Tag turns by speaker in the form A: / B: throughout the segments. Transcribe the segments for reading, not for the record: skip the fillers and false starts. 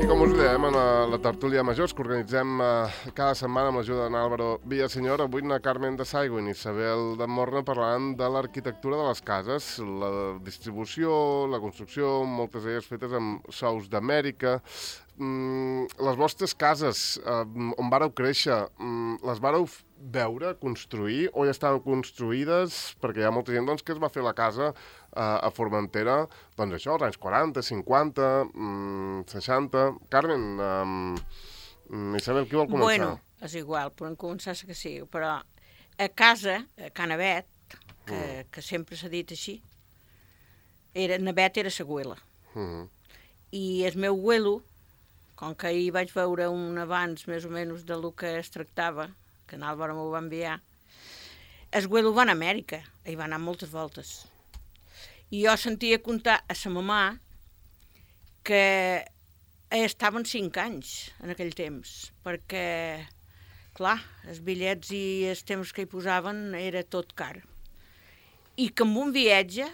A: com us dèiem, en la tertúlia majors que organitzem cada setmana amb l'ajuda d'Álvaro Villaseñor, avui na Carmen de Saigo i Isabel de Morna parlaran de l'arquitectura de les cases, la distribució, la construcció, moltes d'elles fetes amb sous d'Amèrica. Les vostres cases, on vàreu créixer, les vàreu veure, construir, o ja estaven construïdes? Perquè hi ha molta gent que es va fer la casa a Formentera, doncs això, als anys 40, 50, 60... Carmen, Isabel, qui vol començar?
B: Bueno, és igual, podem començar que sí, però a casa, a Ca Navet, que sempre s'ha dit així, Navet era sa güela. I el meu güelo, com que ahir vaig veure un abans més o menys de lo que es tractava, que en Álvaro m'ho va enviar, el güelo va anar a Amèrica, hi va anar moltes voltes. I jo sentia contar a sa mamà que estaven 5 anys en aquell temps, perquè, clar, els bitllets i els temps que hi posaven era tot car. I que amb un viatge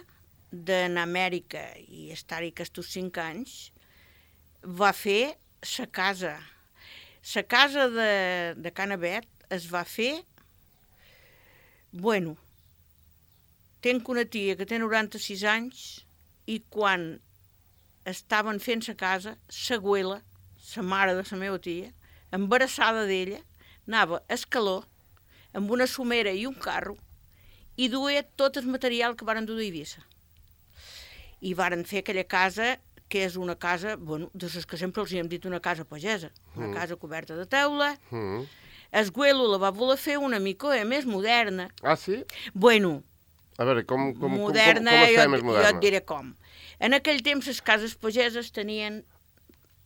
B: d'anar a Amèrica i estar-hi aquests 5 anys, va fer sa casa. Sa casa de Ca Navet es va fer... Bueno, tenc una tia que té 96 anys i quan estaven fent sa casa, sa güela, sa mare de sa meva tia, embarassada d'ella, anava a escaló amb una somera i un carro i duia tot el material que varen dur d'Eivissa. I varen fer aquella casa que és una casa, bueno, de les que sempre els hi hem dit una casa pagesa, una casa coberta de teula. El güelo la va voler fer una mica més moderna.
A: Ah, sí?
B: Bueno,
A: a veure, com
B: moderna,
A: es feia més moderna?
B: Jo et diré com. En aquell temps les cases pageses tenien...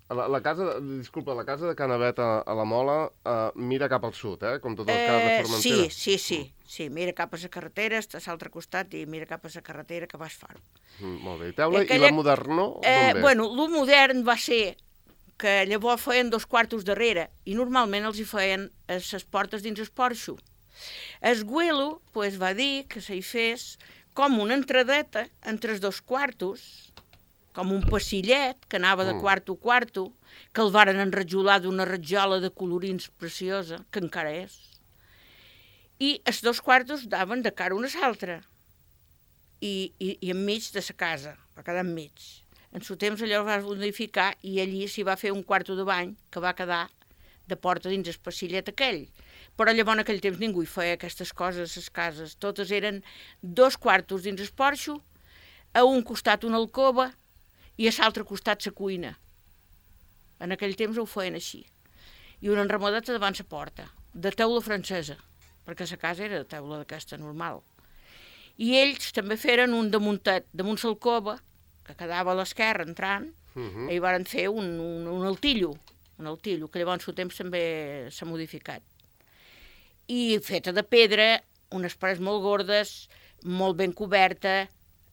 A: La casa de Ca Navet a la Mola mira cap al sud, com totes les cases de Formentera.
B: Sí, mira cap a la carretera, està a l'altre costat i mira cap a la carretera que vas far-ho.
A: Molt bé. I teula i la modernó, d'on ve?
B: Bueno, el modern va ser que llavors feien 2 quartos darrere i normalment els hi feien les portes dins el porxo. El güelo va dir que s'hi fes com una entradeta entre els 2 quartos, com un passillet que anava de quarto a quarto, que el varen enrajolar d'una ratjola de colorins preciosa, que encara és. I els 2 quartos daven de cara una a l'altra. I enmig de la casa, va quedar enmig. En su temps allò va modificar i allí s'hi va fer un quarto de bany que va quedar de porta dins el passillet aquell. Però llavors en aquell temps ningú hi feia aquestes coses a les cases. Totes eren 2 quartos dins el porxo, a un costat una alcova i a l'altre costat la cuina. En aquell temps ho feien així. I una enramadeta davant la porta, de teula francesa, perquè la casa era de teula d'aquesta normal. I ells també feren un damuntet, damunt l'alcova, que quedava a l'esquerra entrant, i hi van fer un altillo, que llavors en el temps també s'ha modificat. I feta de pedra, unes parets molt gordes, molt ben coberta,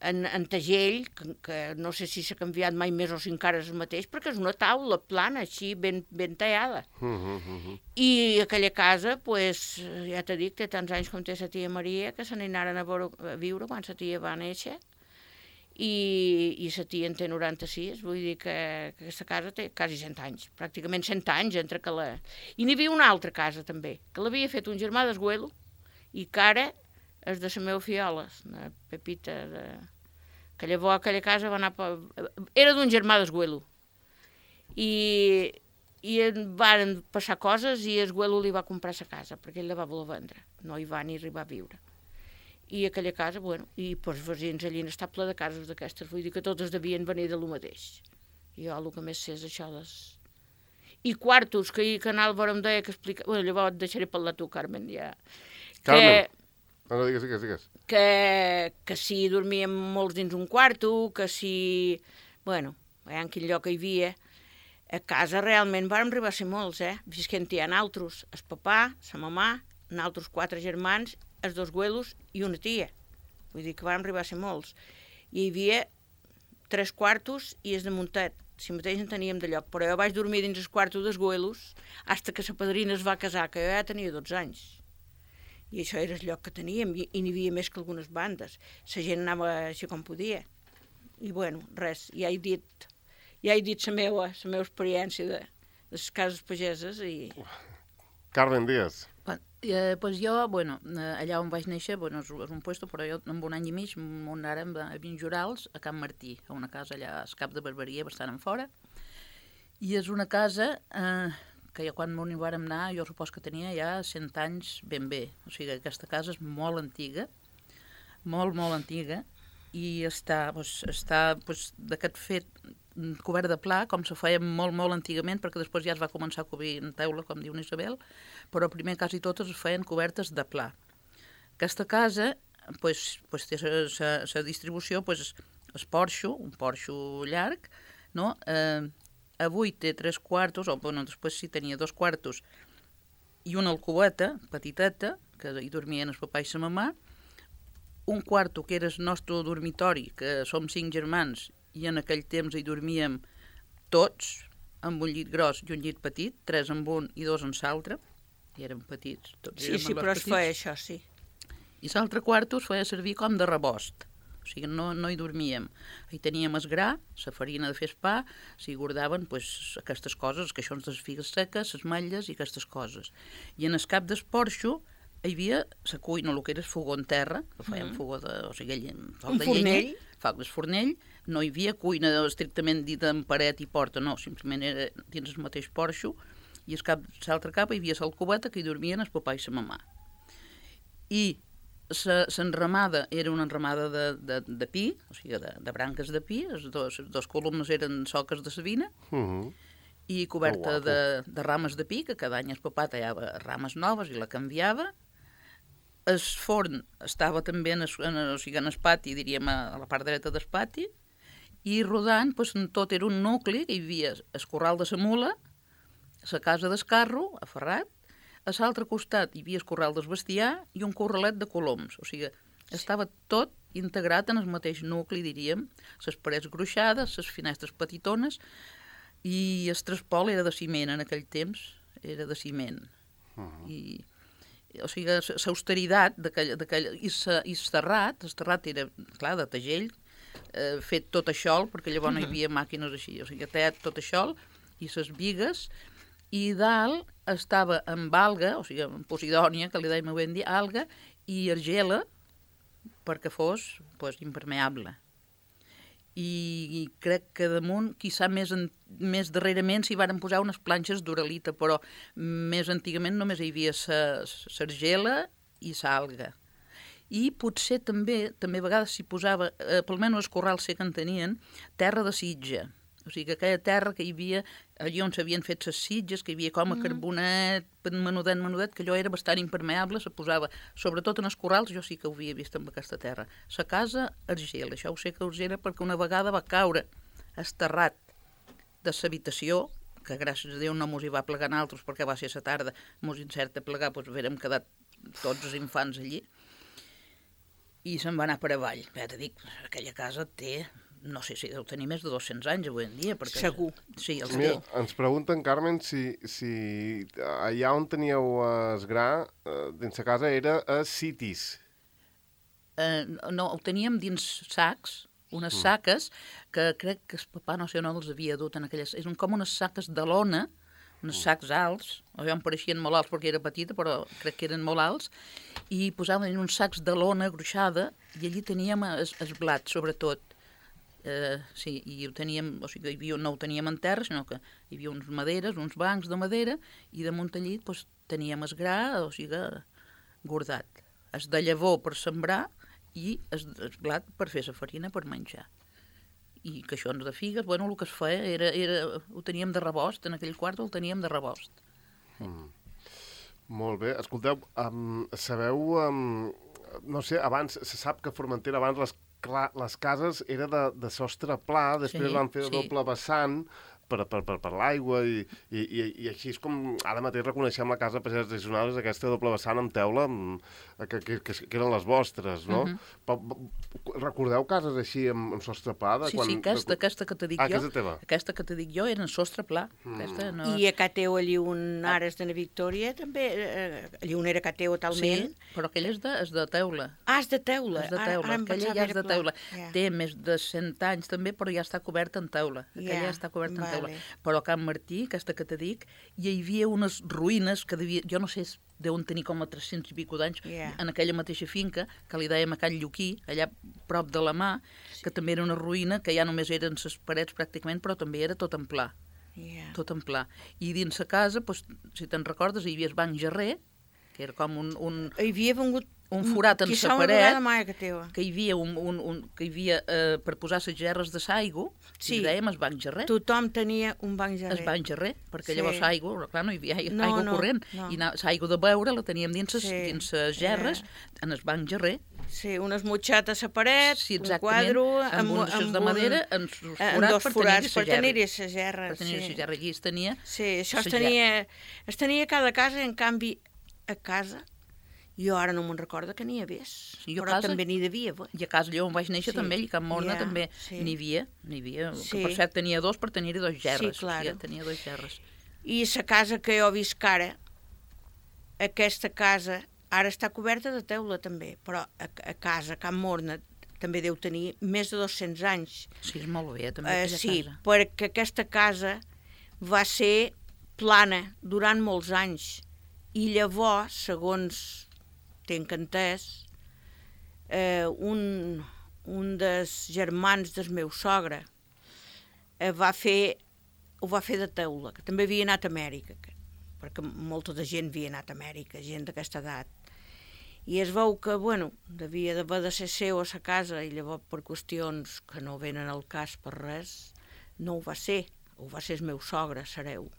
B: en tegell, que no sé si s'ha canviat mai més o si encara és el mateix, perquè és una taula plana, així, ben tallada. I aquella casa, ja t'he dit, té tants anys com té la tia Maria, que se n'anaren a viure quan la tia va néixer, i la tia en té 96, vull dir que aquesta casa té quasi 100 anys, pràcticament 100 anys entre que la... I n'hi havia una altra casa, també, que l'havia fet un germà d'Esguelo, i que ara és de la meva fiola, la Pepita, que llavors aquella casa va anar... Era d'un germà d'Esguelo. I van passar coses i Esguelo li va comprar la casa, perquè ell la va voler vendre. No hi va ni arribar a viure. I aquella casa, bueno, i els veïns allí n'està ple de cases d'aquestes, vull dir que totes devien venir de lo mateix. I jo el que més sé és això I quartos, que en Álvaro em deia que explica... Bueno, llavors et deixaré parlar tu, Carmen, ja.
A: Carmen! No, digues.
B: Que si dormíem molts dins un quarto, que si... Bueno, en quin lloc hi havia. A casa realment vàrem arribar a ser molts, visquent-hi a naltros, el papà, la mamà, naltros 4 germans, els 2 güelos i una tia. Vull dir que vàrem arribar a ser molts. I hi havia 3 quartos i els de muntet. Si mateix en teníem de lloc. Però jo vaig dormir dins el quarto dels güelos fins que la padrina es va casar, que jo ja tenia 12 anys. I això era el lloc que teníem, i n'hi havia més que algunes bandes. La gent anava així com podia. I bueno, res, ja he dit ja he dit la meva experiència de les cases pageses i...
A: Carmen Díaz.
C: Pues jo, allà on vaig néixer, és un puesto, però jo en un any i mig m'anàrem a Vinjorals, a Can Martí, a una casa allà al Cap de Barberia, bastant en fora, i és una casa que ja quan m'hi vàrem anar, jo supos que tenia ja 100 anys ben bé. O sigui, aquesta casa és molt antiga, molt antiga, i està d'aquest fet cobert de pla, com se feia molt antigament, perquè després ja es va començar a cobrir en teula, com diu Isabel, però primer quasi totes es feien cobertes de pla. Aquesta casa té la distribució, el porxo, un porxo llarg, no? Avui té 3 quartos, després sí tenia 2 quartos, i una alcoveta, petiteta, que hi dormien el papà i la mamà, un quarto que era el nostre dormitori, que som 5 germans, i en aquell temps hi dormíem tots, amb un llit gros i un llit petit, 3 amb un i 2 amb l'altre, i érem petits.
B: Sí, però es feia això, sí.
C: I l'altre quarto es feia servir com de rebost, o sigui, no hi dormíem. Hi teníem el gra, la farina de fer el pa, s'hi guardaven aquestes coses, els caixons de les figues seques, les matlles i aquestes coses. I en el cap del porxo hi havia la cuina, el que era el fogó en terra, que fèiem fogó de... O sigui, foc de llenya, foc del fornell, no hi havia cuina estrictament dita en paret i porta, no, simplement era dins el mateix porxo, i l'altre cap hi havia l'alcoveta que hi dormien el papà i la mamà. I l'enramada era una enramada de pi, o sigui, de branques de pi, les dos columnes eren soques de savina, i coberta de rames de pi, que cada any el papà tallava rames noves i la canviava. El forn estava també en el pati, diríem, a la part dreta del pati, i rodant, tot era un nucli, hi havia el corral de la mula, la casa del carro, a Ferrat, a l'altre costat hi havia el corral del bestiar i un corralet de coloms, o sigui, estava tot integrat en el mateix nucli, diríem, les parets gruixades, les finestres petitones, i el traspol era de ciment en aquell temps, era de ciment. O sigui, l'austeritat i el terrat era, clar, de tegell, fet tot això, perquè llavors no hi havia màquines així, o sigui, tallat tot això, i les bigues, i dalt estava amb alga, o sigui, amb posidònia, que li dèiem avui en dia, alga, i argela, perquè fos impermeable. I crec que damunt, quizà més darrerament, s'hi varen posar unes planxes d'uralita, però més antigament només hi havia l'argela i l'alga. I potser també a vegades s'hi posava, pel menys els corrals que en tenien, terra de sitja. O sigui, que aquella terra que hi havia, allà on s'havien fet les sitges, que hi havia com a carbonet, menudet, que allò era bastant impermeable, se posava, sobretot en els corrals, jo sí que ho havia vist amb aquesta terra. La casa, argela, això ho sé que argela perquè una vegada va caure esterrat de l'habitació, que gràcies a Déu no mos hi va plegar altres, perquè va ser la tarda, mos incerta plegar, doncs haguérem quedat tots els infants allí, i se'n va anar per avall. Ja t'he dit, aquella casa té... No sé si deu tenir més de 200 anys avui en dia. Perquè...
B: Segur.
C: Sí, els
A: Mira, ens pregunten, Carmen, si allà on teníeu el gra, dins la casa, era a sitis.
C: No, ho teníem dins sacs, unes saques, que crec que el papà no sé on els havia dut en aquelles... Eren com unes saques de lona, uns sacs alts, jo em pareixien molt alts perquè era petita, però crec que eren molt alts, i posaven en uns sacs de lona gruixada, i allí teníem el blat, sobretot. Sí, i ho teníem, o sigui, no ho teníem en terra, sinó que hi havia uns maderes, uns bancs de madera, i damunt allí teníem el gra, o sigui, guardat. Es de llavor per sembrar i el blat per fer la farina per menjar. I caixons de figues, bueno, el que es feia ho teníem de rebost, en aquell quart el teníem de rebost.
A: Molt bé. Escolteu, sabeu, no sé, abans, se sap que a Formentera abans les cases era de sostre pla, després van fer de doble vessant, per l'aigua i així és com ara mateix reconeixem la casa Pagès de Gijonades, aquesta doble vessant amb teula que eren les vostres, no? Recordeu cases així amb sostre pla?
C: Sí, aquesta que te dic jo.
A: Casa teva.
C: Aquesta que te dic jo era en sostre pla.
B: I a Cateu allí un Ares de la Victòria també, allí un era Cateu talment.
C: Sí, però aquella és de teula.
B: Ah, és de teula.
C: És de teula, aquella ja és de teula. Té més de 100 anys també, però ja està coberta en teula. Aquella ja està coberta en teula. Però a Can Martí, aquesta que te dic, hi havia unes ruïnes que jo no sé, deuen tenir com a 300 i pico d'anys, en aquella mateixa finca, que li dèiem a Can Lluquí, allà prop de la mà, que també era una ruïna, que ja només eren ses parets pràcticament, però també era tot en pla. Tot en pla. I dins la casa, si te'n recordes, hi havia el banc Gerrer, que era com
B: Hi havia vengut
C: un forat en la paret,
B: que
C: hi havia per posar les gerres de l'aigua, i dèiem el banc Gerrer.
B: Tothom tenia un banc Gerrer.
C: El banc Gerrer, perquè llavors l'aigua, clar, no hi havia aigua corrent, i l'aigua de beure la teníem dins les gerres, en el banc Gerrer.
B: Sí, unes motxates a paret, un quadre,
C: amb uns de madera, amb dos forats per tenir-hi
B: la gerra.
C: Per tenir-hi la gerra, aquí es tenia...
B: Sí, això es tenia a cada casa, en canvi, a casa, jo ara no me'n recordo que n'hi hagués, però també n'hi devia haver.
C: I a casa allà on vaig néixer també, i a Can Morna també n'hi havia, que per cert tenia dos per tenir-hi dos gerres.
B: Sí, clar.
C: Tenia dos gerres.
B: I la casa que jo visc ara, aquesta casa, ara està coberta de teula també, però a casa, a Can Morna, també deu tenir més de 200 anys.
C: Sí, és molt bé, també, aquella casa.
B: Sí, perquè aquesta casa va ser plana durant molts anys. I llavors, segons tinc entès, un dels germans del meu sogre ho va fer de teula, que també havia anat a Amèrica, perquè molta de gent havia anat a Amèrica, gent d'aquesta edat. I es veu que, devia d'haver de ser seu a sa casa, i llavors per qüestions que no venen al cas per res, no ho va ser el meu sogre, Sareu.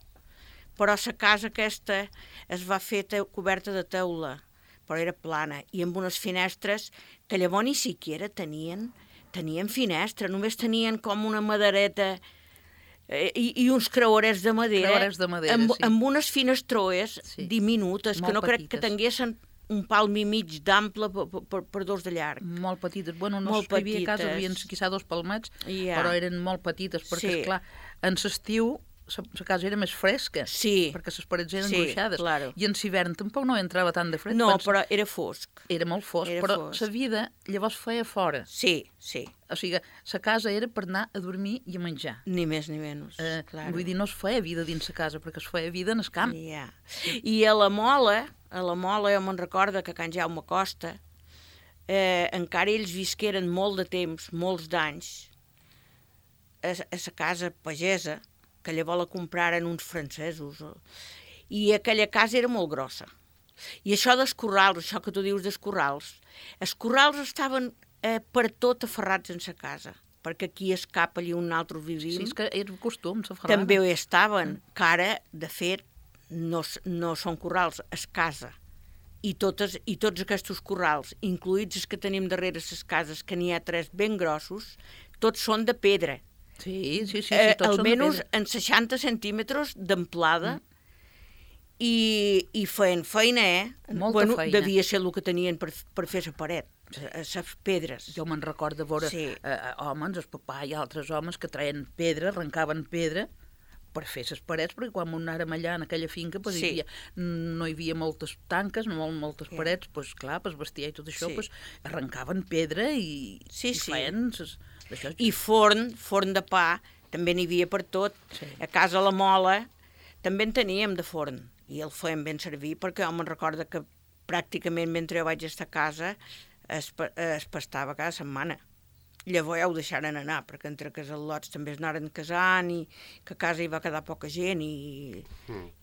B: Però la casa aquesta es va fer coberta de teula, però era plana, i amb unes finestres que llavors ni siquiera tenien finestra, només tenien com una madereta i uns creuerets de madera, amb unes finestroes diminutes, que no crec que tinguessin un palm i mig d'ample per dos de llarg.
C: Molt petites. No hi havia cases, havien quizà 2 palmets, però eren molt petites, perquè, esclar, en l'estiu la casa era més fresca, perquè les parets eren gruixades, i en l'hivern tampoc no entrava tant de fred.
B: No, però era fosc.
C: Era molt fosc, però la vida llavors feia fora.
B: Sí.
C: O sigui, la casa era per anar a dormir i a menjar.
B: Ni més ni menys,
C: Vull dir, no es feia vida dins la casa, perquè es feia vida en el camp.
B: I a la Mola jo me'n recordo que Can Jaume Costa, encara ells visqueren molt de temps, molts d'anys, a la casa pagesa, que llavors la compraren uns francesos, i aquella casa era molt grossa. I això dels corrals, això que tu dius dels corrals, els corrals estaven per tot aferrats en sa casa, perquè aquí es cap, allí un altre vivim.
C: Sí, és que era costum, s'aferraven.
B: També hi estaven, que ara, de fet, no són corrals, es casa. I tots aquests corrals, incluïts els que tenim darrere les cases, que n'hi ha 3 ben grossos, tots són de pedra.
C: Sí, tots són de pedra.
B: Almenys en 60 centímetres d'amplada, i feien feina,
C: Molta feina.
B: Devia ser el que tenien per fer la paret, les pedres.
C: Jo me'n recordo de veure homes, el papà i altres homes que traien pedra, arrencaven pedra per fer les parets, perquè quan anàrem allà en aquella finca no hi havia moltes tanques, moltes parets, clar, per bestiar i tot això, arrencaven pedra i feien...
B: I forn de pa, també n'hi havia per tot. A casa la Mola també en teníem de forn, i el feien ben servir, perquè jo me'n recordo que pràcticament mentre jo vaig estar a casa es pastava cada setmana. Llavors ja ho deixaren anar, perquè entre casalots també es anaren casant, i que a casa hi va quedar poca gent, i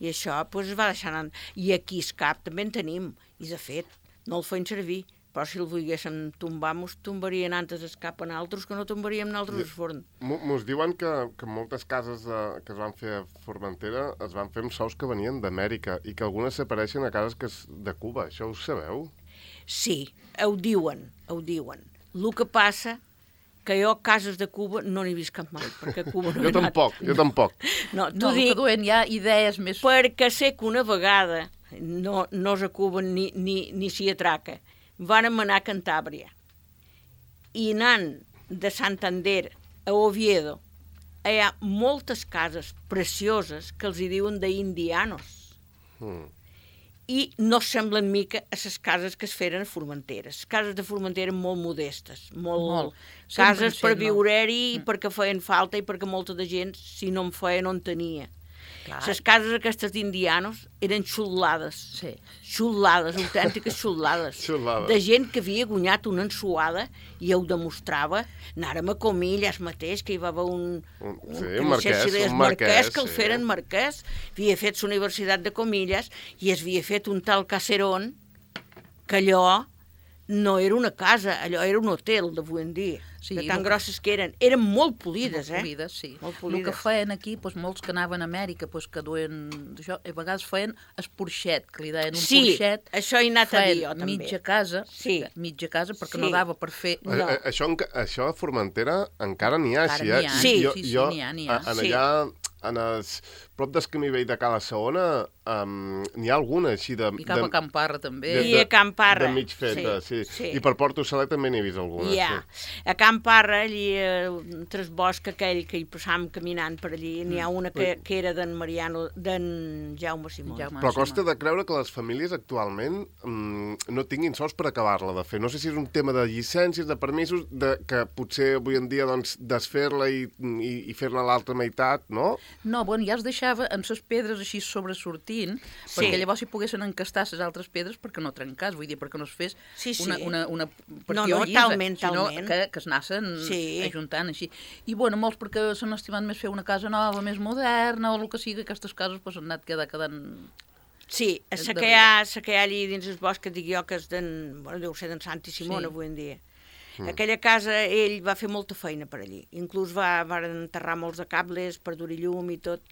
B: això es va deixar anar. I aquí el cap també en tenim, i de fet no el feien servir, però si el volguéssim tombar, mos tombarien antes el cap en altres que no tombaríem nosaltres el forn.
A: Mos diuen que moltes cases que es van fer a Formentera es van fer amb sous que venien d'Amèrica, i que algunes s'apareixen a cases de Cuba. Això ho sabeu?
B: Sí, ho diuen. El que passa que jo cases de Cuba no n'he vist cap mai, perquè a Cuba no he anat.
A: Jo tampoc.
B: No,
C: No, que duen ja idees més...
B: Perquè sé que una vegada, no és a Cuba ni s'hi atraca, vàrem anar a Cantàbria. I anant de Santander a Oviedo, hi ha moltes cases precioses que els hi diuen d'indianos. I no semblen mica a les cases que es feren a Formentera. Les cases de Formentera molt modestes, molt. Cases per viure-hi i perquè feien falta i perquè molta de gent, si no en feia, no en tenia. Les cases aquestes d'indianos eren xullades.
C: Sí.
B: Xullades, autèntiques xullades. De gent que havia guanyat una ensuada i ho demostrava. Anàrem a Comillas mateix, que hi va haver un marquès, que el feren marquès. Havia fet la Universitat de Comillas i es havia fet un tal caserón que allò no era una casa, allò era un hotel d'avui en dia. Sí, de tan grosses que eren. Eren molt polides,
C: molt polides, sí.
B: Molt polides.
C: El que feien aquí, doncs, molts que anaven a Amèrica, doncs, que duen... Això, a vegades feien esporxet, que li deien un porxet.
B: Sí, això he anat a dir jo, també.
C: Mitja casa, perquè no dava per fer...
A: No. Això a Formentera encara n'hi ha, així, eh?
C: Sí, n'hi ha.
A: Allà, prop del camí vell de Cala Segona, n'hi ha alguna així de...
C: I cap a Can Parra, també.
B: I a Can Parra.
A: De mig feta, sí. I per Porto Saler també n'he vist alguna.
B: A Can Parra, allí, entre el bosc aquell que hi passàvem caminant per allí, n'hi ha una que era d'en Jaume Simó.
A: Però costa de creure que les famílies actualment no tinguin sols per acabar-la de fer. No sé si és un tema de llicències, de permisos, que potser avui en dia desfer-la i fer-la a l'altra meitat, no?
C: No, bueno, ja es deixava amb les pedres així sobresortint, perquè llavors hi poguessin encastar les altres pedres perquè no trencàs, vull dir, perquè no es fes una partió llisa, sinó que es anaven ajuntant així. I, bueno, molts perquè s'han estimat més fer una casa nova, més moderna, o el que sigui, aquestes cases pues, han anat quedant...
B: Sí, la que hi ha allí dins el bosc, que dic jo, que és deu ser d'en Santi Simón avui en dia. Aquella casa, ell va fer molta feina per allí. Inclús va enterrar molts de cables per dur-hi llum i tot.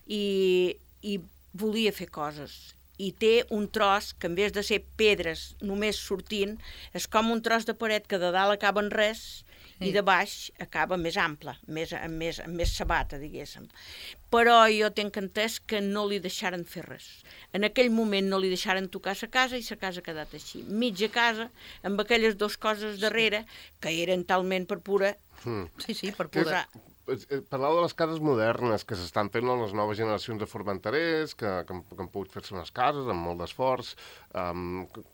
B: I volia fer coses. I té un tros que, en vez de ser pedres només sortint, és com un tros de paret que de dalt acaba en res i de baix acaba més ample, més sabata, diguéssim. Però jo tinc entès que no li deixaren fer res. En aquell moment no li deixaren tocar la casa i la casa ha quedat així. Mitja casa, amb aquelles dues coses darrere, que eren talment per pura...
C: Sí, per pura...
A: Parlàveu de les cases modernes que s'estan fent les noves generacions de formenterers, que han pogut fer-se unes cases amb molt d'esforç.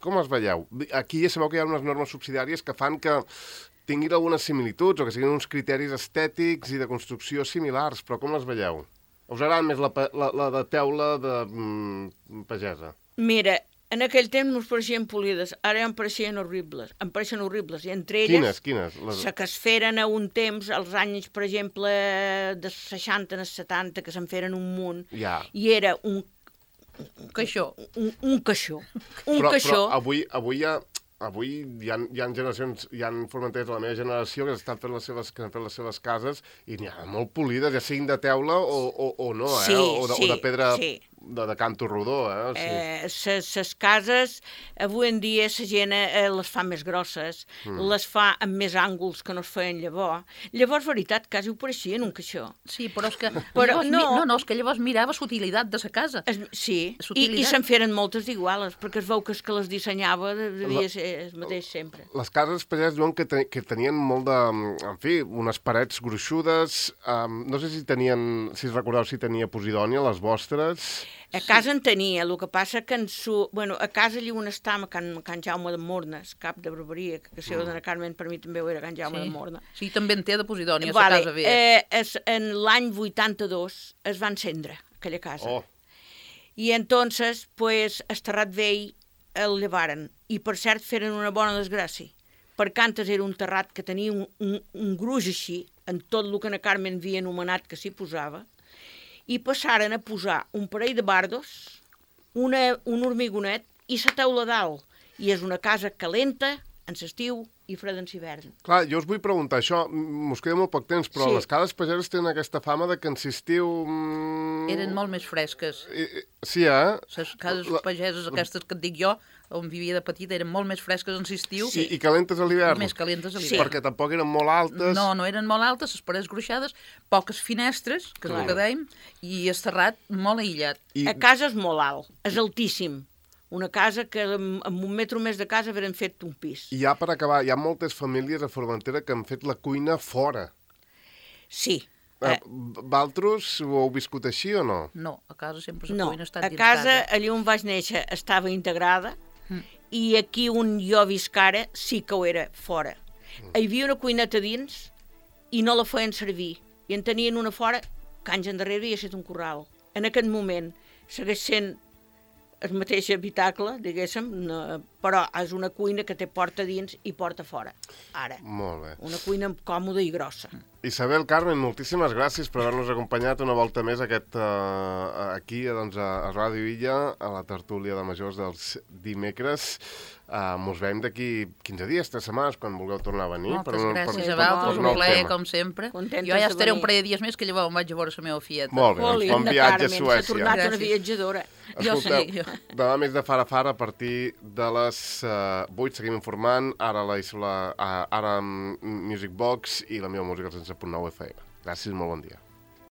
A: Com es veieu? Aquí ja sabeu que hi ha unes normes subsidiàries que fan que tinguin algunes similituds o que siguin uns criteris estètics i de construcció similars, però com les veieu? Us agrada més la de teula de pagesa?
B: Mira, en aquell temps ens pareixien polides, ara em pareixen horribles, i entre elles...
A: Quines?
B: Les que es feren a un temps, als anys, per exemple, de 60 als 70, que se'n feren un munt, i era un
C: caixó.
B: Un caixó. Però
A: avui hi ha generacions, hi ha formenteres de la meva generació que estan fent les seves cases i n'hi ha molt polides, ja siguin de teula o no, o de pedra de canto rodó.
B: Les cases, avui en dia, la gent les fa més grosses, les fa amb més ànguls que no es feien llavors. Llavors, veritat, quasi ho pareixien un caixó.
C: Sí, però és que... és que llavors mirava l'utilitat de la casa.
B: Sí, i se'n feren moltes d'iguales, perquè es veu que les dissenyava devia ser el mateix sempre.
A: Les cases pageses diuen que tenien molt de... En fi, unes parets gruixudes. No sé si recordeu si tenia posidònia, les vostres.
B: A casa en tenia, el que passa que a casa allí on estàvem, a Can Jaume de Mornes, cap de barberia, que seu d'Anna Carmen per mi també ho era Can Jaume de Mornes.
C: Sí, també en té de posidònia, a casa bé.
B: En l'any 82 es va encendre aquella casa. I entonces, pues, el terrat vell el llevaren. I, per cert, feren una bona desgràcia, perquè antes era un terrat que tenia un gruix així, en tot el que Anna Carmen havia anomenat que s'hi posava, i passaren a posar un parell de bardos, un hormigonet i la teula dalt. I és una casa calenta, en l'estiu, i fredens hivern.
A: Clar, jo us vull preguntar això, mos queda molt poc temps, però les cases pageses tenen aquesta fama de que en estiu...
C: Eren molt més fresques.
A: Sí,
C: Les cases pageses, aquestes que et dic jo, on vivia de petita, eren molt més fresques en l'estiu.
A: Sí, i calentes a l'hivern.
C: Més calentes a l'hivern.
A: Sí. Perquè tampoc eren molt altes.
C: No eren molt altes, les parets gruixades, poques finestres, que és el que dèiem, i el terrat molt aïllat.
B: A casa és molt alt, és altíssim. Una casa que amb 1 metre més de casa haurem fet un pis.
A: I ja per acabar, hi ha moltes famílies a Formentera que han fet la cuina fora.
B: Sí.
A: Valtros ho heu viscut així o no?
C: No, a casa sempre la cuina ha estat dins
B: casa.
C: casa.
B: Allà on vaig néixer estava integrada i aquí on jo visc ara sí que ho era fora. Hi havia una cuineta dins i no la feien servir. I en tenien una fora que anys endarrere havia estat un corral. En aquest moment segueix sent el mateix habitacle, diguéssim, però és una cuina que té porta dins i porta fora, ara.
A: Molt bé.
B: Una cuina còmoda i grossa.
A: Isabel, Carmen, moltíssimes gràcies per haver-nos acompanyat una volta més aquí doncs, a Ràdio Illa, a la tertúlia de majors dels dimecres. Mos veiem d'aquí 15 dies, 3 setmanes, quan vulgueu tornar a venir.
C: Moltes gràcies a vosaltres, un plaer, com sempre.
B: Contentes
C: jo ja
B: de
C: estaré
B: venir.
C: un parell de dies més, que llavors em vaig a veure la meva fieta.
A: Molt bé, doncs bon viatge a Suècia.
B: S'ha tornat una
C: Gràcies.
B: viatjadora.
A: Escolteu, demà més de Fara Fara a partir de les 8 seguim informant, ara Music Box i la meva música al 100.9 FM. Gràcies, molt bon dia.